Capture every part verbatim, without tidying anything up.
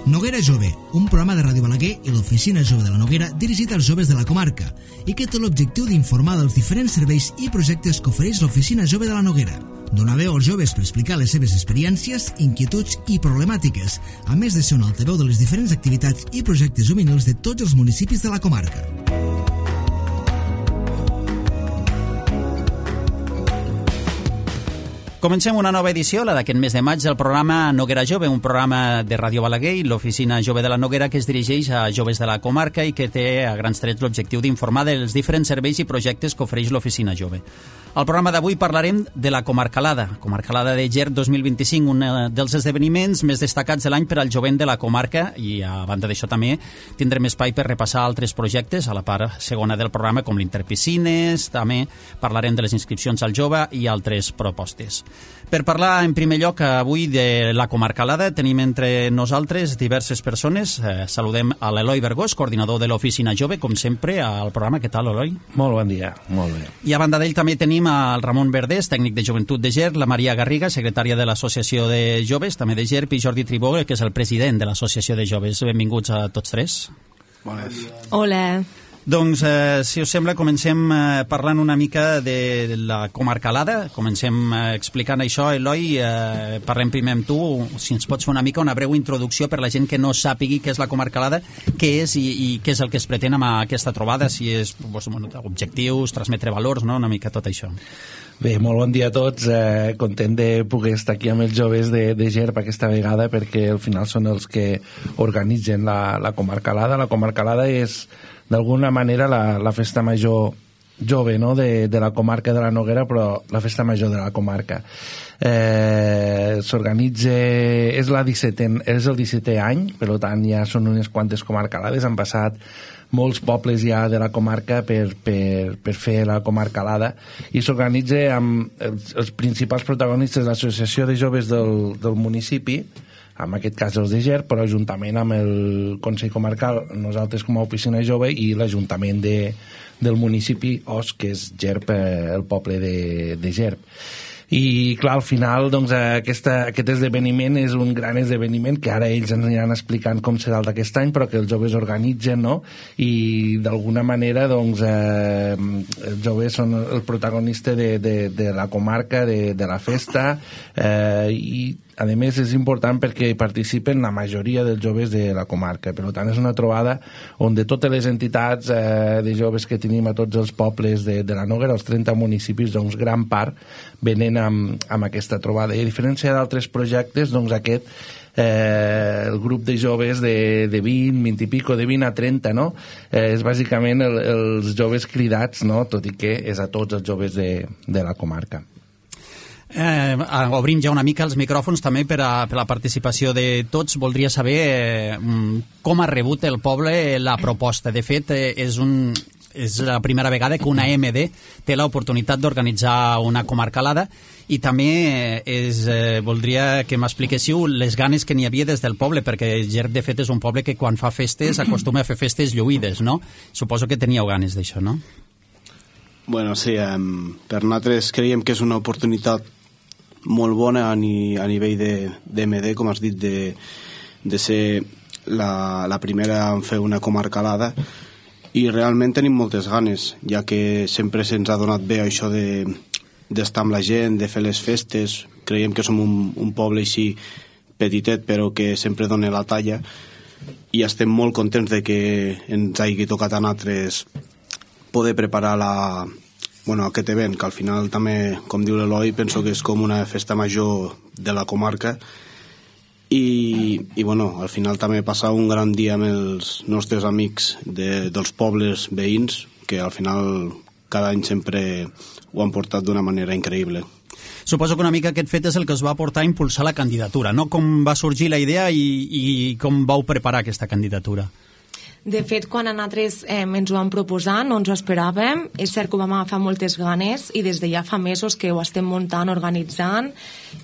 Noguera Jove, un programa de Ràdio Balaguer i l'Oficina Jove de la Noguera dirigit als joves de la comarca i que té l'objectiu d'informar dels diferents serveis i projectes que ofereix l'Oficina Jove de la Noguera. Donar veu als joves per explicar les seves experiències, inquietuds i problemàtiques, a més de ser un altaveu de les diferents activitats i projectes juvenils de tots els municipis de la comarca. Comencem una nova edició, la d'aquest mes de maig, del programa Noguera Jove, un programa de Ràdio Balaguer i l'Oficina Jove de la Noguera que es dirigeix a joves de la comarca i que té a grans trets l'objectiu d'informar dels diferents serveis i projectes que ofereix l'Oficina Jove. Al programa d'avui parlarem de la Comarcalada, Comarcalada de Ger dos mil vint-i-cinc, un dels esdeveniments més destacats de l'any per al jovent de la comarca, i a banda d'això també tindrem espai per repassar altres projectes a la part segona del programa, com l'Interpiscines, també parlarem de les inscripcions al jove i altres propostes. Per parlar en primer lloc avui de la Comarcalada tenim entre nosaltres diverses persones. Eh, saludem a l'Eloi Vergós, coordinador de l'Oficina Jove, com sempre al programa. Què tal, Eloi? Molt bon dia, molt bé. I a banda d'ell també tenim el Ramon Verdés, tècnic de Joventut de Ger, la Maria Garriga, secretària de l'Associació de Joves, també de Ger, i Jordi Tribó, que és el president de l'Associació de Joves. Benvinguts a tots tres. Bones. Hola. Doncs, eh, si us sembla, comencem eh, parlant una mica de la Comarcalada. Comencem eh, explicant això. Eloi, eh, parlem primer amb tu. Si ens pots fer una mica una breu introducció per la gent que no sàpigui què és la Comarcalada, què és i, i què és el que es pretén amb aquesta trobada, si és doncs, bueno, objectius, transmetre valors, no? Una mica tot això. Bé, molt bon dia a tots. Eh, content de poder estar aquí amb els joves de, de Ger aquesta vegada, perquè al final són els que organitzen la, la Comarcalada. La Comarcalada és d'alguna manera la, la festa major jove, no?, de, de la comarca de la Noguera, però la festa major de la comarca. Eh, s'organitza, és, la dissetè, és el dissetè any, per tant ja són unes quantes comarcalades, han passat molts pobles ja de la comarca per, per, per fer la Comarcalada, i s'organitza amb els, els principals protagonistes de l'Associació de Joves del, del municipi, en aquest cas els de Ger, però juntament amb el Consell Comarcal, nosaltres com a Oficina Jove, i l'Ajuntament de, del municipi Os, que és Gerp, el poble de, de Gerp. I clar, al final doncs, aquesta, aquest esdeveniment és un gran esdeveniment que ara ells ens aniran explicant com serà el d'aquest any, però que els joves organitzen, no? I d'alguna manera doncs, eh, els joves són el protagonista de, de, de la comarca, de, de la festa, eh, i a més és important perquè hi participen la majoria dels joves de la comarca. Per tant, és una trobada on de totes les entitats eh, de joves que tenim a tots els pobles de, de la Noguera, els trenta municipis, doncs gran part venen amb, amb aquesta trobada. I a diferència d'altres projectes, doncs aquest Eh, el grup de joves de, de vint, vint i pico, de vint a trenta, no? Eh, és bàsicament el, els joves cridats, no?, tot i que és a tots els joves de, de la comarca. Eh, obrim ja una mica els micròfons també per a, per a la participació de tots. Voldria saber eh, com ha rebut el poble la proposta. De fet, eh, és un... és la primera vegada que una M D té l'oportunitat d'organitzar una comarcalada, i també és, eh, voldria que m'expliquéssiu les ganes que n'hi havia des del poble, perquè Ger, de fet, és un poble que quan fa festes acostuma a fer festes lluïdes, no? Suposo que teníeu ganes d'això, no? Bueno, sí, um, per nosaltres creiem que és una oportunitat molt bona a, ni, a nivell de, de M D, com has dit, de, de ser la, la primera en fer una comarcalada, i realment tenim moltes ganes, ja que sempre se'ns ha donat bé això de, d'estar amb la gent, de fer les festes. Creiem que som un, un poble així petitet, però que sempre dona la talla, i estem molt contents de que ens hagi tocat a nosaltres poder preparar la, bueno, aquest event, que al final també, com diu l'Eloi, penso que és com una festa major de la comarca. I, i bueno, al final també passar un gran dia amb els nostres amics de, dels pobles veïns, que al final cada any sempre ho han portat d'una manera increïble. Suposo que una mica aquest fet és el que us va portar a impulsar la candidatura, no? Com va sorgir la idea i, i com vau preparar aquesta candidatura? De fet, quan a nosaltres eh, ens ho vam proposar, no ens ho esperàvem. És cert que ho vam agafar moltes ganes i des de ja fa mesos que ho estem muntant, organitzant.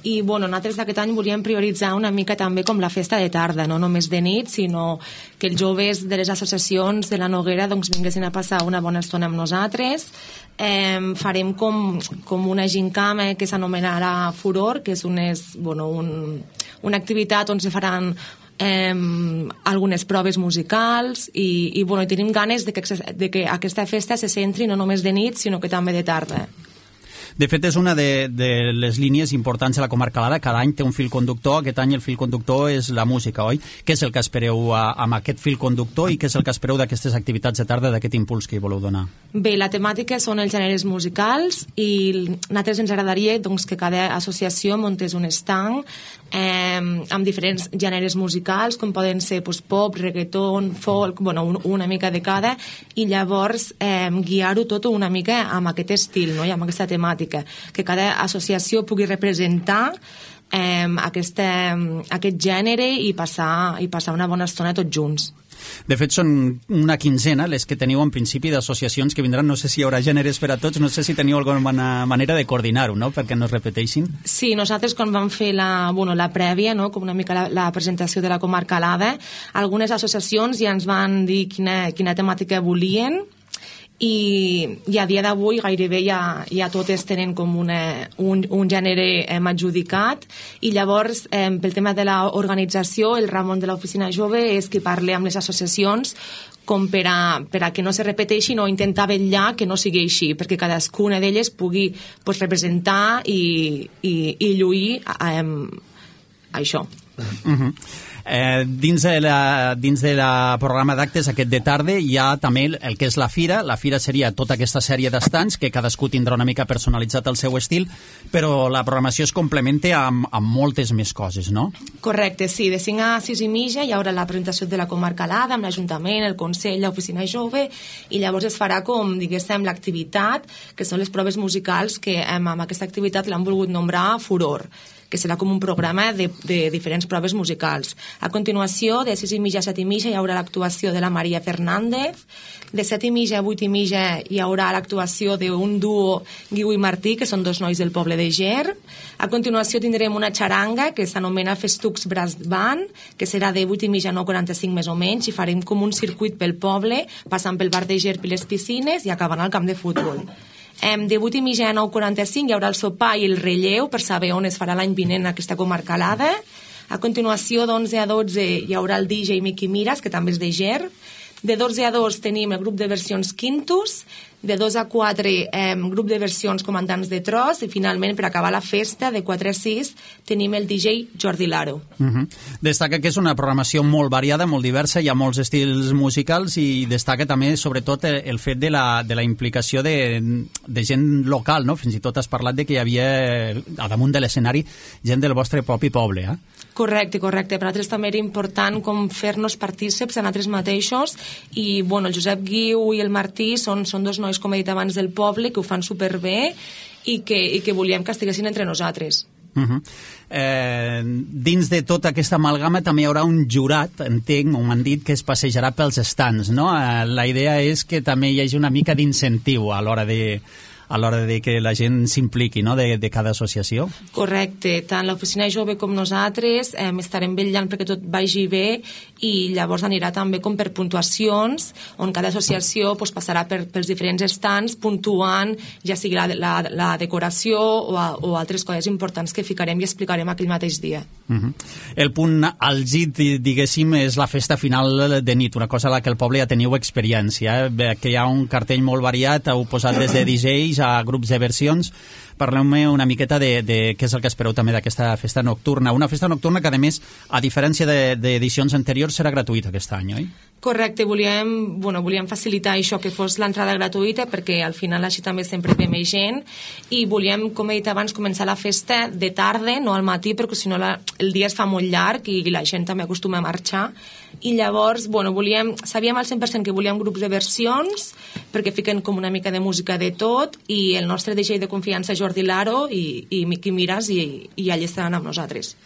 I bueno, nosaltres d'aquest any volíem prioritzar una mica també com la festa de tarda, no només de nit, sinó que els joves de les associacions de la Noguera doncs, vinguessin a passar una bona estona amb nosaltres. Eh, farem com, com una gincama que s'anomenarà Furor, que és, unes, bueno, un, una activitat on se faran eh, algunes proves musicals i, i, bueno, i tenim ganes de que, de que aquesta festa se centri no només de nit sinó que també de tarda. De fet, és una de, de les línies importants de la Comarcalada. Cada any té un fil conductor. Aquest any el fil conductor és la música, oi? Què és el que espereu a, amb aquest fil conductor i què és el que espereu d'aquestes activitats de tarda, d'aquest impuls que hi voleu donar? Bé, la temàtica són els gèneres musicals i a nosaltres ens agradaria doncs, que cada associació muntés un estanc eh, amb diferents gèneres musicals, com poden ser doncs, pop, reggaeton, folk, bueno, un, una mica de cada, i llavors eh, guiar-ho tot una mica amb aquest estil, no? I amb aquesta temàtica, que cada associació pugui representar eh, aquesta, aquest gènere i passar, i passar una bona estona tots junts. De fet, són una quinzena les que teniu en principi d'associacions que vindran. No sé si hi haurà gèneres per a tots, no sé si teniu alguna manera de coordinar-ho, no?, perquè no es repeteixin. Sí, nosaltres quan vam fer la, bueno, la prèvia, no?, com una mica la, la presentació de la Comarcalada, algunes associacions ja ens van dir quina, quina temàtica volien, i, i a dia d'avui gairebé ja, ja totes tenen com una, un, un gènere eh, adjudicat, i llavors eh, pel tema de l'organització el Ramon de l'Oficina Jove és qui parla amb les associacions com per a, per a que no se repeteixin o intentar vetllar que no sigui així, perquè cadascuna d'elles pugui pues, representar i, i, i lluir eh, això. Uh-huh. Eh, dins de la, dins de la programa d'actes aquest de tarda hi ha també el, el que és la fira. La fira seria tota aquesta sèrie d'estants que cadascú tindrà una mica personalitzat el seu estil, però la programació es complementa amb, amb moltes més coses, no? Correcte, sí. De cinc a sis i mitja hi haurà la presentació de la Comarcalada amb l'Ajuntament, el Consell, l'Oficina Jove, i llavors es farà com, diguéssim, l'activitat, que són les proves musicals que amb, amb aquesta activitat l'han volgut nombrar Furor, que serà com un programa de, de diferents proves musicals. A continuació, de sis i mitja a set i mitja hi haurà l'actuació de la Maria Fernández. De set i mitja a vuit i mitja hi haurà l'actuació d'un duo, Guiu i Martí, que són dos nois del poble de Ger. A continuació tindrem una xaranga que s'anomena Festucs Brass Band, que serà de vuit i mitja a nou quaranta-cinc més o menys, i farem com un circuit pel poble, passant pel bar de Ger i les piscines i acabant al camp de futbol. De vuit i mitja a nou quaranta-cinc hi haurà el sopar i el relleu per saber on es farà l'any vinent aquesta Comarcalada. A continuació, d'onze a dotze hi haurà el D J Miqui Miras, que també és de Ger. De dotze a dos tenim el grup de versions Quintus. De dos a quatre, eh, grup de versions Comandants de Tros. I finalment, per acabar la festa, de quatre a sis, tenim el D J Jordi Laro. Uh-huh. Destaca que és una programació molt variada, molt diversa, hi ha molts estils musicals i destaca també, sobretot, el fet de la, de la implicació de, de gent local, no? Fins i tot has parlat de que hi havia, a damunt de l'escenari, gent del vostre propi poble, eh? Correcte, correcte. Per nosaltres també era important com fer-nos partíceps a nosaltres mateixos i, bueno, el Josep Guiu i el Martí són, són dos nois, com he dit abans, del poble, que ho fan superbé i que, i que volíem que estiguessin entre nosaltres. Uh-huh. eh, dins de tota aquesta amalgama també hi haurà un jurat, entenc, o m'han dit, que es passejarà pels stands, no? Eh, la idea és que també hi hagi una mica d'incentiu a l'hora de a l'hora de que la gent s'impliqui, no?, de, de cada associació. Correcte, tant l'Oficina Jove com nosaltres eh, estarem vetllant perquè tot vagi bé i llavors anirà també com per puntuacions, on cada associació pues, passarà per, pels diferents stands puntuant, ja sigui la, la, la decoració o, a, o altres coses importants que ficarem i explicarem aquell mateix dia. Uh-huh. El punt àlgid, diguéssim, és la festa final de nit, una cosa a la que el poble ja teniu experiència, eh? Que hi ha un cartell molt variat, heu posat des de D Js a grups de versions. Parleu-me una miqueta de, de què és el que espereu també d'aquesta festa nocturna. Una festa nocturna que, a més, a diferència d'edicions de, anteriors, serà gratuïta aquest any, oi? Correcte, volíem, bueno, volíem facilitar això, que fos l'entrada gratuïta, perquè al final així també sempre ve més gent, i volíem, com he dit abans, començar la festa de tarda, no al matí, perquè si no la, el dia es fa molt llarg i la gent també acostuma a marxar, i llavors, bueno, volíem, sabíem al cent per cent que volíem grups de versions, perquè fiquen com una mica de música de tot, i el nostre D J de confiança, Jordi Laro, i, i Miqui Miras, i, i allà estaran amb nosaltres.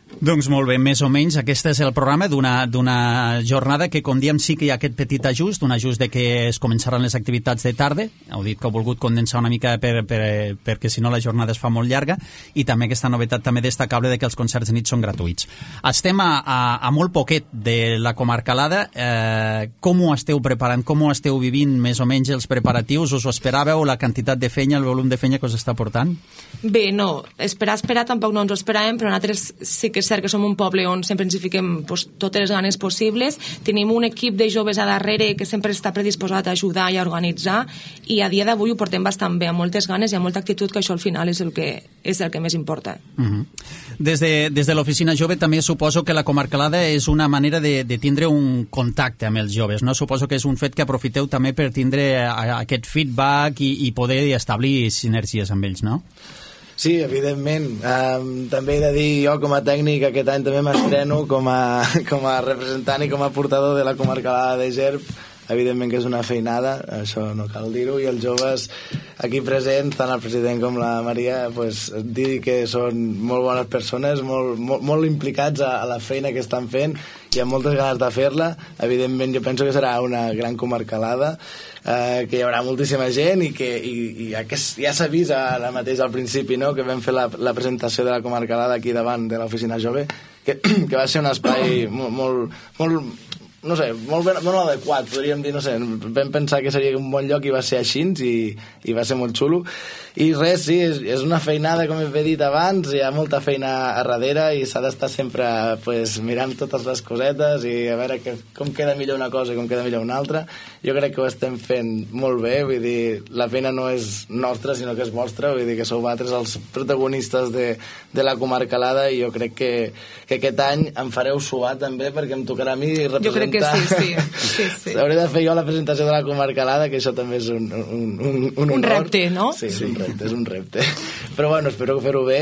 Doncs molt bé, més o menys aquest és el programa d'una jornada que, com diem, sí que hi ha aquest petit ajust, un ajust de que es començaran les activitats de tarda, heu dit que heu volgut condensar una mica per, per, perquè si no la jornada es fa molt llarga, i també aquesta novetat també destacable de que els concerts de nit són gratuïts. Estem a, a, a molt poquet de la Comarcalada, eh, com ho esteu preparant, com ho esteu vivint més o menys els preparatius, us ho esperàveu, la quantitat de fenya, el volum de fenya que us està portant? Bé, no, esperar, esperar tampoc no ens ho esperàvem, però nosaltres sí que és cert que som un poble on sempre ens hi fiquem pues, totes les ganes possibles. Tenim un equip de joves a darrere que sempre està predisposat a ajudar i a organitzar, i a dia d'avui ho portem bastant bé, amb moltes ganes i amb molta actitud, que això al final és el que, és el que més importa. Uh-huh. Des de, des de l'Oficina Jove també suposo que la Comarcalada és una manera de, de tindre un contacte amb els joves, no? Suposo que és un fet que aprofiteu també per tindre a, a aquest feedback i, i poder establir sinergies amb ells, no? Sí, evidentment. Um, també he de dir, jo com a tècnic aquest any també m'estreno com a, com a representant i com a portador de la Comarcalada de Gerb. Evidentment que és una feinada, això no cal dir-ho, i els joves aquí presents, tant el president com la Maria, pues, dir que són molt bones persones, molt, molt, molt implicats a, a la feina que estan fent i amb moltes ganes de fer-la. Evidentment jo penso que serà una gran comarcalada, eh, que hi haurà moltíssima gent i que i, i ja, que ja s'ha vist ara mateix al principi, no?, que vam fer la, la presentació de la comarcalada aquí davant de l'Oficina Jove, que, que va ser un espai molt, molt, molt no sé, molt, ben, molt adequat, podríem dir, no sé, vam pensar que seria un bon lloc i va ser així, i, i va ser molt xulo. I res, sí, és, és una feinada, com he dit abans, hi ha molta feina a darrere i s'ha d'estar sempre pues, mirant totes les cosetes i a veure que, com queda millor una cosa i com queda millor una altra. Jo crec que ho estem fent molt bé, vull dir, la feina no és nostra, sinó que és vostra, vull dir que sou vosaltres els protagonistes de, de la comarcalada, i jo crec que, que aquest any em fareu suar també, perquè em tocarà a mi representar... Jo crec que sí, sí. sí, sí. Hauré de fer jo la presentació de la comarcalada, que això també és un, un, un, un honor. Un repte, no? Sí, és un repte. És un repte, però bueno, espero fer-ho bé,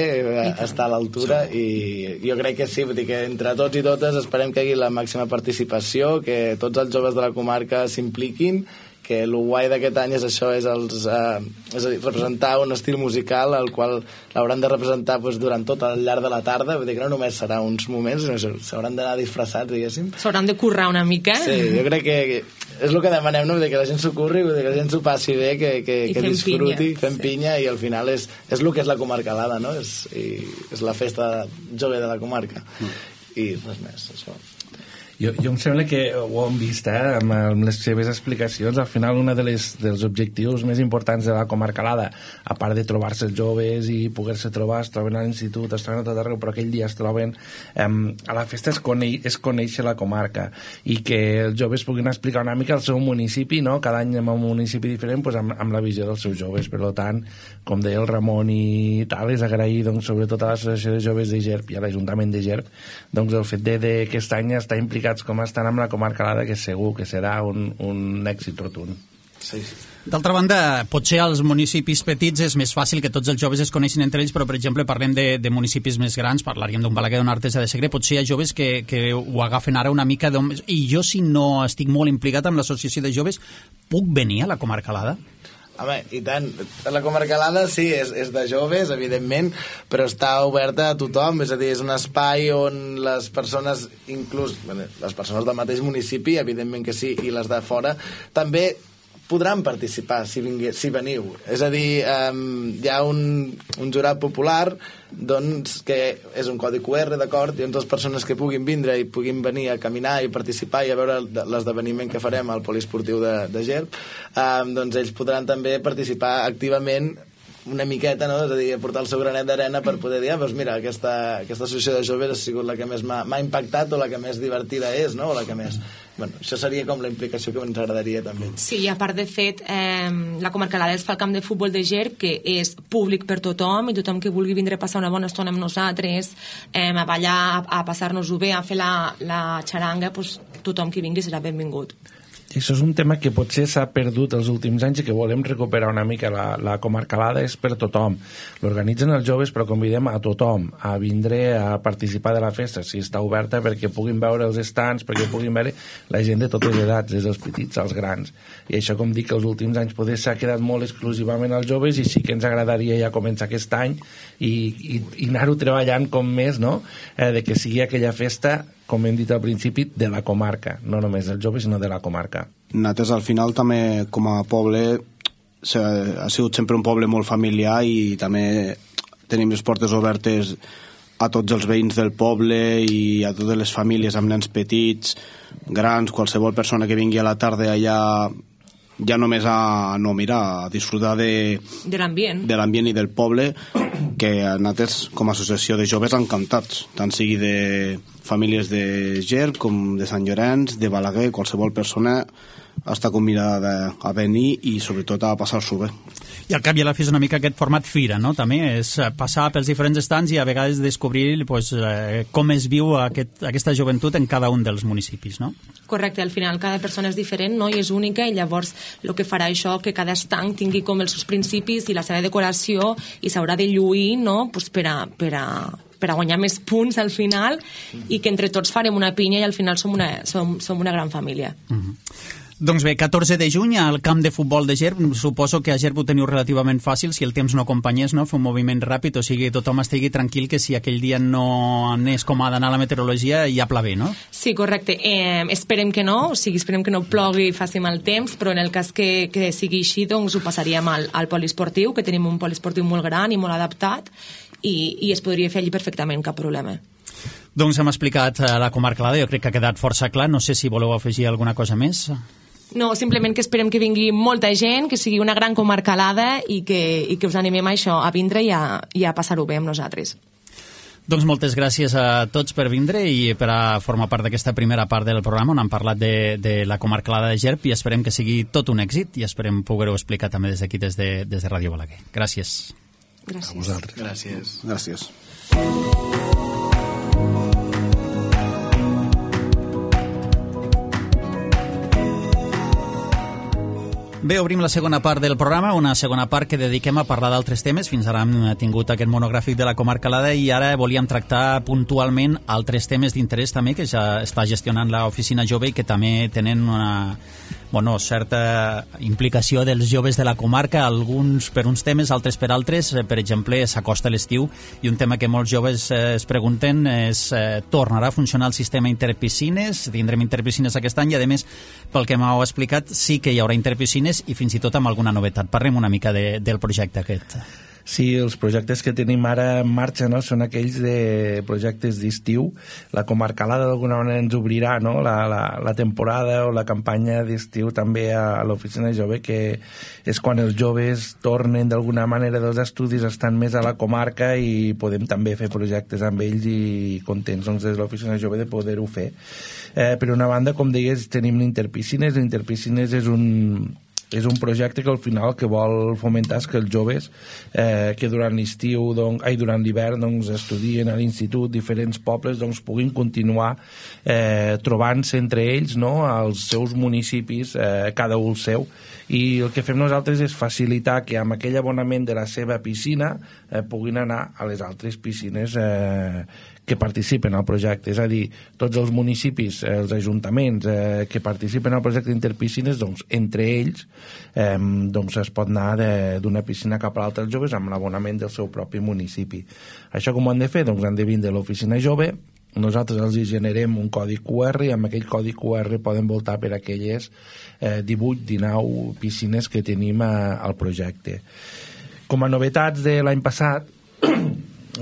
estar a l'altura, i jo crec que sí, vull dir que entre tots i totes esperem que hi hagi la màxima participació, que tots els joves de la comarca s'impliquin, que el guai d'aquest any és això, és, els, eh, és a dir, representar un estil musical al qual l'hauran de representar pues, durant tot el llarg de la tarda, vull dir que no només serà uns moments, sinó s'hauran d'anar disfressats, diguéssim. S'hauran de currar una mica. Sí, jo crec que és el que demanem, no? Vull dir que la gent s'ho curri, vull dir que la gent s'ho passi bé, que, que, que disfruti, pinya. fem sí. pinya, i al final és, és el que és la comarcalada, no? És, i és la festa jove de la comarca. Mm. I res més, això. Jo, jo em sembla que ho hem vist, eh, amb, amb les seves explicacions. Al final, un de les, dels objectius més importants de la comarcalada, a part de trobar-se els joves i poder-se trobar, es troben a l'institut, es troben a tot arreu, però aquell dia es troben eh, a la festa es, cone es conèixer la comarca, i que els joves puguin explicar una mica el seu municipi, no? Cada any en un municipi diferent, pues, amb, amb la visió dels seus joves. Per tant, com deia el Ramon i tal, és agrair doncs, sobretot a l'Associació de Joves de Gerb i a l'Ajuntament de Gerb doncs, el fet de, de que aquest any està implicat com estan amb la comarcalada, que segur que serà un, un èxit rotund. Sí, sí. D'altra banda, potser als municipis petits és més fàcil que tots els joves es coneixin entre ells, però, per exemple, parlem de, de municipis més grans, parlaríem d'un Balaguer, d'un Artesa de Segre, potser hi ha joves que, que ho agafen ara una mica... I jo, si no estic molt implicat amb l'associació de joves, puc venir a la comarcalada? Home, i tant. La comarcalada sí, és, és de joves, evidentment, però està oberta a tothom, és a dir, és un espai on les persones, inclús bueno, les persones del mateix municipi, evidentment que sí, i les de fora, també podran participar si, vingui, si veniu. És a dir, um, hi ha un, un jurat popular doncs, que és un codi Q R, d'acord, i on les persones que puguin vindre i puguin venir a caminar i participar i a veure l'esdeveniment que farem al poliesportiu de, de Gerb, um, doncs ells podran també participar activament una miqueta, no? És a dir, portar el seu granet d'arena per poder dir, ah, doncs mira, aquesta, aquesta associació de joves ha sigut la que més m'ha impactat o la que més divertida és, no? O la que més... Bueno, això seria com la implicació que ens agradaria també. Sí, a part de fet, eh, la comarcalada es fa el camp de futbol de Gerb, que és públic per tothom, i tothom que vulgui vindre a passar una bona estona amb nosaltres, eh, a ballar, a, a passar-nos-ho bé, a fer la, la xaranga, pues, tothom que vingui serà benvingut. Això és un tema que potser s'ha perdut els últims anys i que volem recuperar una mica. La, la comarcalada és per tothom. L'organitzen els joves, però convidem a tothom a vindre a participar de la festa, si està oberta, perquè puguin veure els estants, perquè puguin veure la gent de totes les edats, des dels petits als grans. I això, com dic, els últims anys poder s'ha quedat molt exclusivament als joves, i sí que ens agradaria ja començar aquest any i, i, i anar-ho treballant com més, no? Eh, de que sigui aquella festa, com hem dit al principi, de la comarca, no només dels joves, sinó de la comarca. Nosaltres, al final, també, com a poble, ha sigut sempre un poble molt familiar, i també tenim les portes obertes a tots els veïns del poble i a totes les famílies amb nens petits, grans, qualsevol persona que vingui a la tarda allà, ja només a, no, mira, a disfrutar de, de l'ambient de l'ambient i del poble, que nosaltres, com a associació de joves, encantats, tant sigui de famílies de Ger com de Sant Llorenç, de Balaguer, qualsevol persona està convidada a venir i sobretot a passar-s'ho bé. I al cap i a la fi és una mica aquest format fira, no? També és passar pels diferents estants i a vegades descobrir pues, eh, com es viu aquest, aquesta joventut en cada un dels municipis, no? Correcte, al final cada persona és diferent, no? I és única, i llavors el que farà això que cada estanc tingui com els seus principis i la seva decoració i s'haurà de lluir, no? Pues per a, per a, per a guanyar més punts al final i que entre tots farem una pinya i al final som una, som, som una gran família. Mm-hmm. Doncs bé, catorze de juny al camp de futbol de Gerb. Suposo que a Gerb ho teniu relativament fàcil si el temps no acompanyés, no? Fer un moviment ràpid, o sigui, tothom estigui tranquil que si aquell dia no anés com ha d'anar la meteorologia ja plavé, no? Sí, correcte. Eh, esperem que no, o sigui, esperem que no plogui i faci mal temps, però en el cas que, que sigui així, doncs ho passaríem al, al poliesportiu, que tenim un poliesportiu molt gran i molt adaptat, i, i es podria fer allí perfectament, cap problema. Doncs hem explicat la comarcalada, jo crec que ha quedat força clar. No sé si voleu afegir alguna cosa més. No, simplement que esperem que vingui molta gent, que sigui una gran comarcalada i que, i que us animem a això, a vindre i a, i a passar-ho bé amb nosaltres. Doncs moltes gràcies a tots per vindre i per a formar part d'aquesta primera part del programa on hem parlat de, de la comarcalada de Gerb, i esperem que sigui tot un èxit i esperem poder-ho explicar també des d'aquí, des de, des de Ràdio Balaguer. Gràcies. Gràcies. A vosaltres. Gràcies. Gràcies. Bé, obrim la segona part del programa, una segona part que dediquem a parlar d'altres temes. Fins ara hem tingut aquest monogràfic de la comarcalada i ara volíem tractar puntualment altres temes d'interès també que ja està gestionant l'Oficina Jove i que també tenen una bueno, certa implicació dels joves de la comarca, alguns per uns temes, altres per altres. Per exemple, s'acosta l'estiu i un tema que molts joves eh, es pregunten és eh, tornarà a funcionar el sistema interpiscines? Tindrem interpiscines aquest any i, a més, pel que m'heu explicat, sí que hi haurà interpiscines i fins i tot amb alguna novetat. Parlem una mica de, del projecte aquest. Sí, els projectes que tenim ara en marxa, no?, són aquells de projectes d'estiu. La comarcalada d'alguna manera ens obrirà, no?, la, la, la temporada o la campanya d'estiu també a, a l'Oficina Jove, que és quan els joves tornen d'alguna manera dels estudis, estan més a la comarca i podem també fer projectes amb ells i contents doncs, des de l'Oficina Jove de poder-ho fer. Eh, per una banda, com deies, tenim l'Interpiscines. L'Interpiscines és un és un projecte que al final el que vol fomentar és que els joves eh, que durant l'estiu, doncs, ai, durant l'hivern doncs, estudien a l'institut, diferents pobles, doncs, puguin continuar eh, trobant-se entre ells, no?, als seus municipis, eh, cada un el seu. I el que fem nosaltres és facilitar que amb aquell abonament de la seva piscina eh, puguin anar a les altres piscines eh, que participen al projecte. És a dir, tots els municipis, eh, els ajuntaments eh, que participen al projecte d'Interpiscines, doncs, entre ells eh, doncs es pot anar d'una piscina cap a l'altra els joves amb l'abonament del seu propi municipi. Això com ho han de fer? Doncs han de vindre a l'Oficina Jove, nosaltres els generem un codi Q R i amb aquell codi Q R poden voltar per aquelles eh, divuit dinou piscines que tenim a, al projecte. Com a novetats de l'any passat,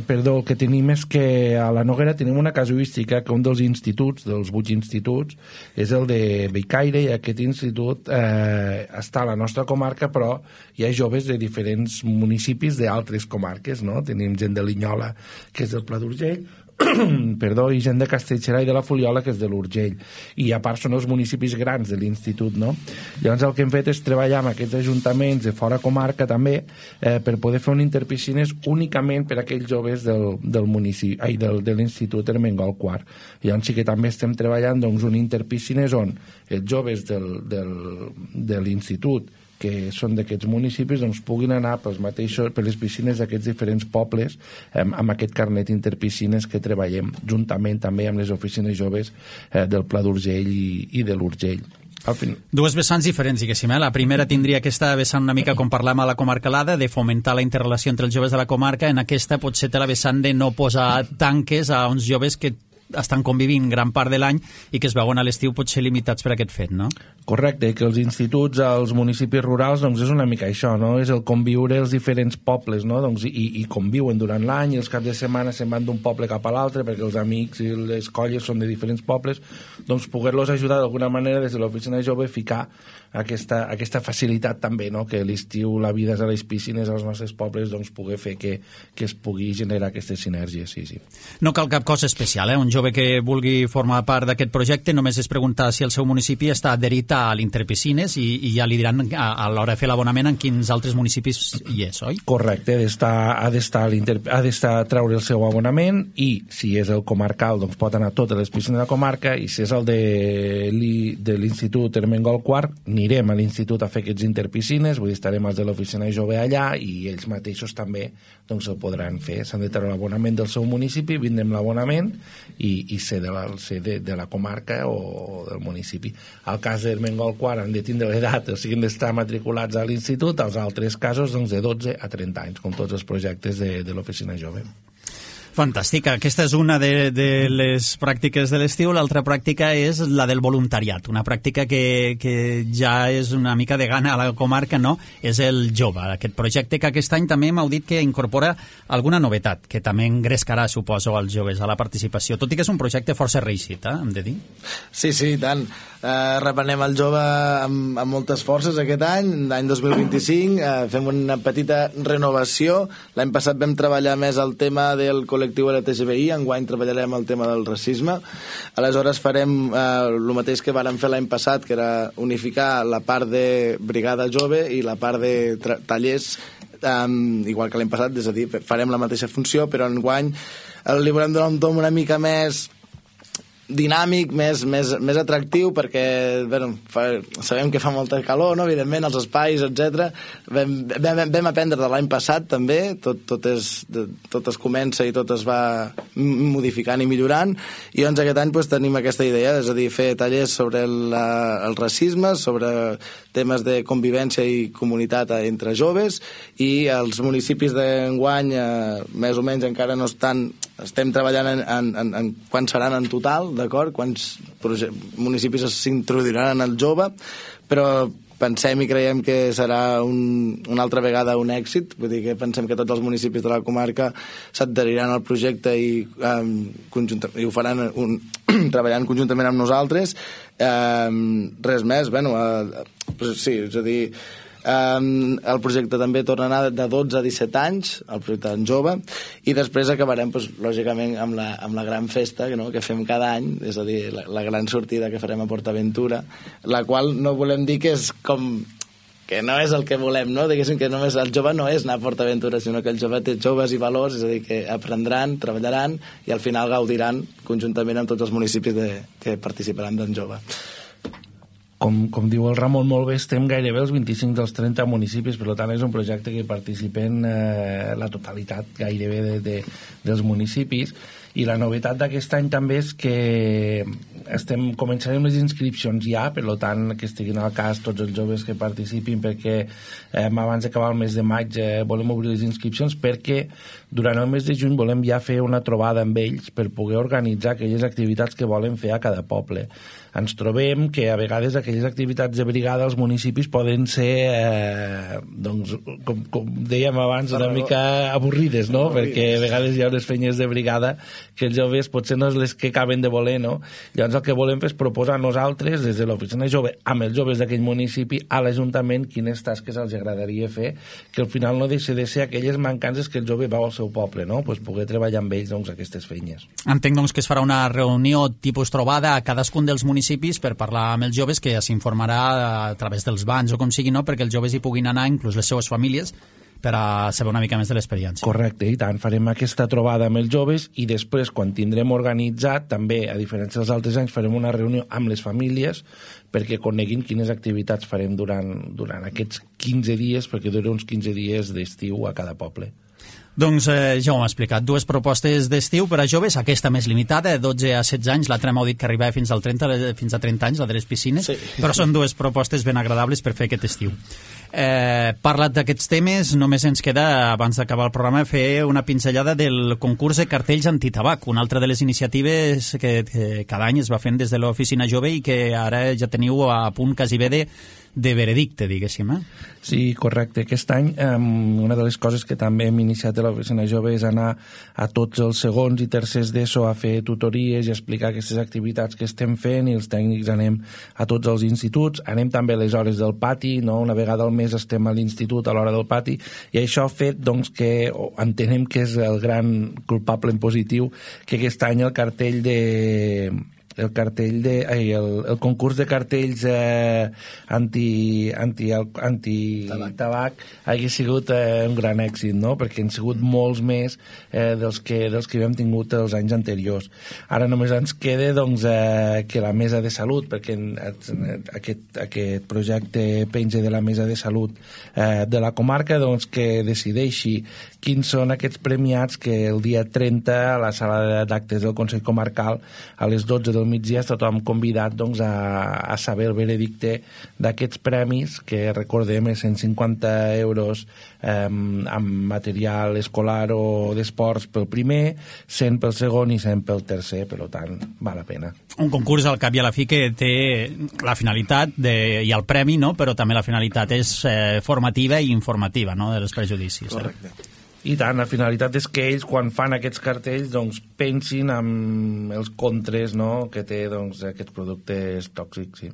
perdó, el que tenim és que a la Noguera tenim una casuística que un dels instituts, dels vuit instituts, és el de Bellcaire, i aquest institut eh, està a la nostra comarca, però hi ha joves de diferents municipis d'altres comarques, no? Tenim gent de Linyola, que és del Pla d'Urgell, perdó, i gent de Castellserà i de la Fuliola, que és de l'Urgell, i a part són els municipis grans de l'institut, no? Llavors el que hem fet és treballar amb aquests ajuntaments de fora comarca també eh, per poder fer un interpiscines únicament per a aquells joves del, del municipi, ai, del, de l'institut Ermengol quart. Llavors sí que també estem treballant doncs, un interpiscines on els joves del, del, de l'institut que són d'aquests municipis doncs, puguin anar pels mateixos, per les piscines d'aquests diferents pobles eh, amb aquest carnet interpiscines que treballem juntament també amb les oficines joves eh, del Pla d'Urgell i, i de l'Urgell. Fin... Dues vessants diferents, diguéssim. Eh? La primera tindria aquesta vessant una mica com parlàvem a la comarcalada, de fomentar la interrelació entre els joves de la comarca. En aquesta potser té la vessant de no posar tanques a uns joves que estan convivint gran part de l'any i que es veuen a l'estiu potser limitats per aquest fet, no? Correcte, que els instituts als municipis rurals doncs és una mica això, no? És el conviure els diferents pobles, no? Doncs, i, i conviuen durant l'any, els caps de setmana se'n van d'un poble cap a l'altre perquè els amics i les colles són de diferents pobles, doncs poder-los ajudar d'alguna manera des de l'oficina jove a ficar aquesta, aquesta facilitat també, no? Que l'estiu la vida és a les piscines als nostres pobles, doncs poder fer que, que es pugui generar aquestes sinergies, sí, sí. No cal cap cosa especial, eh? Un jove que vulgui formar part d'aquest projecte només és preguntar si el seu municipi està adherit a l'Interpiscines i, i ja li diran a, a l'hora de fer l'abonament en quins altres municipis hi és, oi? Correcte, ha d'estar, ha d'estar, ha d'estar a treure el seu abonament i si és el comarcal doncs pot anar a totes les piscines de la comarca i si és el de, de l'Institut Ermengol quart anirem a l'institut a fer aquests interpiscines, vull dir, estarem els de l'oficina jove allà i ells mateixos també doncs el podran fer, s'han de treure l'abonament del seu municipi, vindrem l'abonament i, i ser, de la, ser de, de la comarca o del municipi. Al cas d'Ermengol quart han de tindre l'edat, o sigui, han d'estar matriculats a l'institut, als altres casos doncs de dotze a trenta anys, com tots els projectes de, de l'oficina jove. Fantàstic, aquesta és una de, de les pràctiques de l'estiu, l'altra pràctica és la del voluntariat, una pràctica que, que ja és una mica de gana a la comarca, no? És el jove, aquest projecte que aquest any també m'heu dit que incorpora alguna novetat, que també engrescarà, suposo, als joves a la participació, tot i que és un projecte força reeixit, eh? Hem de dir? Sí, sí, i tant. Eh, reprenem el jove amb, amb moltes forces aquest any, l'any dos mil vint-i-cinc, eh, fem una petita renovació. L'any passat vam treballar més el tema del col·lectiu L G T B I, enguany treballarem el tema del racisme. Aleshores farem eh, el mateix que vàrem fer l'any passat, que era unificar la part de brigada jove i la part de tallers, um, igual que l'any passat, és a dir, farem la mateixa funció, però enguany li volem donar un tom una mica més dinàmic, més, més, més atractiu, perquè bueno, fa, sabem que fa molta calor, no? Evidentment, els espais, etcètera. Vam, vam, vam aprendre de l'any passat, també, tot, tot, és, tot es comença i tot es va modificant i millorant, i doncs aquest any pues, tenim aquesta idea, és a dir, fer tallers sobre el, el racisme, sobre temes de convivència i comunitat entre joves, i els municipis d'enguany, eh, més o menys encara no estan, estem treballant en, en, en, en quan seran en total, d'acord? Quants municipis s'introduiran en el jove, però pensem i creiem que serà un, una altra vegada un èxit, vull dir que pensem que tots els municipis de la comarca s'adheriran al projecte i, um, i ho faran un, treballant conjuntament amb nosaltres. Um, res més, bueno, uh, sí, és a dir, Um, el projecte també torna a anar de dotze a disset anys, el projecte en jove, i després acabarem pues, lògicament amb la, amb la gran festa, no?, que fem cada any, és a dir, la, la gran sortida que farem a PortAventura, la qual no volem dir que és com que no és el que volem, no? Diguéssim que només el jove no és anar a PortAventura, sinó que el jove té joves i valors, és a dir, que aprendran, treballaran i al final gaudiran conjuntament amb tots els municipis de, que participaran d'en jove. Com, com diu el Ramon molt bé, estem gairebé els vint-i-cinc dels trenta municipis, per tant és un projecte que participen eh, la totalitat gairebé de, de, dels municipis, i la novetat d'aquest any també és que estem, començarem les inscripcions ja, per tant que estiguin al cas tots els joves que participin, perquè eh, abans d'acabar el mes de maig eh, volem obrir les inscripcions, perquè durant el mes de juny volem ja fer una trobada amb ells per poder organitzar aquelles activitats que volen fer a cada poble. Ens trobem que a vegades aquelles activitats de brigada als municipis poden ser, eh, doncs, com, com dèiem abans, una mica avorrides, no? Perquè a vegades hi ha unes feines de brigada que els joves potser no és les que acaben de voler, no? Llavors el que volem fer és proposar a nosaltres, des de l'oficina jove, amb els joves d'aquell municipi, a l'Ajuntament, quines tasques els agradaria fer, que al final no deixa de ser aquelles mancances que el jove veu al seu poble, no? Pues poder treballar amb ells, doncs, aquestes feines. Entenc, doncs, que es farà una reunió tipus trobada a cadascun dels municipis per parlar amb els joves, que s'informarà a través dels bans o com sigui, no?, perquè els joves hi puguin anar, inclús les seues famílies, per a saber una mica més de l'experiència. Correcte, i tant, farem aquesta trobada amb els joves i després, quan tindrem organitzat, també, a diferència dels altres anys, farem una reunió amb les famílies perquè coneguin quines activitats farem durant, durant aquests quinze dies, perquè dura uns quinze dies d'estiu a cada poble. Doncs eh, ja ho hem explicat, dues propostes d'estiu per a joves, aquesta més limitada, de dotze a setze anys, l'altra m'heu dit que arribava fins, al trenta, fins a trenta anys, la de les piscines, sí. Però són dues propostes ben agradables per fer aquest estiu. Eh, parlat d'aquests temes, només ens queda, abans d'acabar el programa, fer una pinzellada del concurs de cartells antitabac, una altra de les iniciatives que, que cada any es va fent des de l'Oficina Jove i que ara ja teniu a punt quasi bé de de veredicte, diguéssim, eh? Sí, correcte. Aquest any um, una de les coses que també hem iniciat a l'Oficina Jove és anar a tots els segons i tercers d'ESO a fer tutories i explicar aquestes activitats que estem fent, i els tècnics anem a tots els instituts, anem també a les hores del pati, no? Una vegada al mes estem a l'institut a l'hora del pati, i això ha fet doncs, que entenem que és el gran culpable en positiu, que aquest any el cartell de el cartell de ai, el, el concurs de cartells eh, anti, anti, anti tabac. tabac hagi sigut eh, un gran èxit, no? Perquè han sigut molts més eh, dels, que, dels que havíem tingut els anys anteriors. Ara només ens queda doncs, eh, que la Mesa de Salut, perquè aquest, aquest projecte penja de la Mesa de Salut eh, de la comarca, doncs, que decideixi quins són aquests premiats que el dia trenta a la sala d'actes del Consell Comarcal a les dotze del migdia està tothom convidat doncs, a, a saber el veredicte d'aquests premis, que recordem és cent cinquanta euros eh, amb material escolar o d'esports pel primer, cent pel segon i cent pel tercer, per tant val la pena. Un concurs al cap i a la fi que té la finalitat de, i el premi, no? Però també la finalitat és eh, formativa i informativa, no? De els prejudicis. Correcte. Eh? I tant, la finalitat és que ells, quan fan aquests cartells, doncs, pensin en els contres, no?, que té doncs, aquests productes tòxics, sí.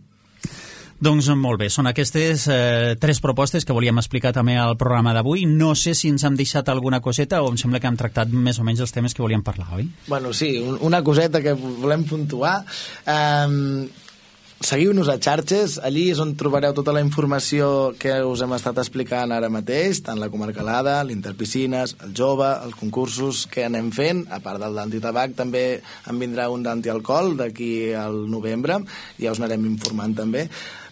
Doncs molt bé, són aquestes eh, tres propostes que volíem explicar també al programa d'avui. No sé si ens hem deixat alguna coseta o em sembla que hem tractat més o menys els temes que volíem parlar, oi? Bueno, sí, una coseta que volem puntuar. Um, Seguiu-nos a xarxes, allí és on trobareu tota la informació que us hem estat explicant ara mateix, tant la comarcalada, l'Interpiscines, el jove, els concursos que anem fent, a part del d'antitabac també en vindrà un d'antialcohol d'aquí al novembre, ja us n'anarem informant també.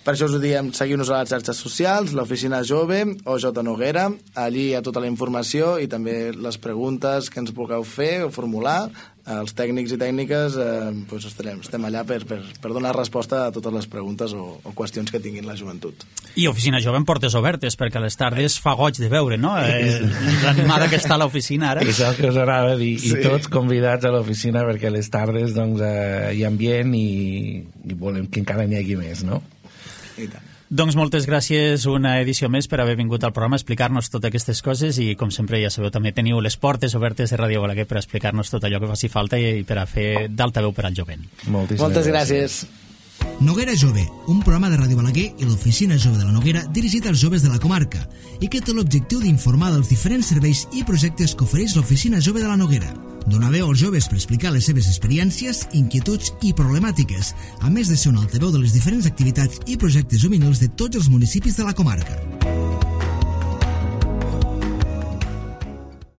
Per això us ho diem, seguiu-nos a les xarxes socials, l'Oficina Jove o J. Noguera, allí hi ha tota la informació i també les preguntes que ens vulgueu fer o formular. Els tècnics i tècniques eh, doncs estarem, estem allà per, per, per donar resposta a totes les preguntes o, o qüestions que tinguin la joventut. I Oficina Jove en portes obertes, perquè a les tardes fa goig de veure, no? Eh, l'animada que està a l'oficina ara. És el que us anava a dir, sí. I tots convidats a l'oficina perquè a les tardes doncs, eh, hi ha ambient i, i volem que encara n'hi hagi més, no? I tant. Doncs moltes gràcies una edició més per haver vingut al programa a explicar-nos totes aquestes coses i com sempre ja sabeu també teniu les portes obertes de Ràdio Balaguer per explicar-nos tot allò que faci falta i per a fer d'altaveu per al jovent. Moltíssimes Moltes gràcies. gràcies. Noguera Jove, un programa de Ràdio Balaguer i l'Oficina Jove de la Noguera dirigit als joves de la comarca i que té l'objectiu d'informar dels diferents serveis i projectes que ofereix l'Oficina Jove de la Noguera. Donar veu als joves per explicar les seves experiències, inquietuds i problemàtiques, a més de ser un altaveu de les diferents activitats i projectes juvenils de tots els municipis de la comarca.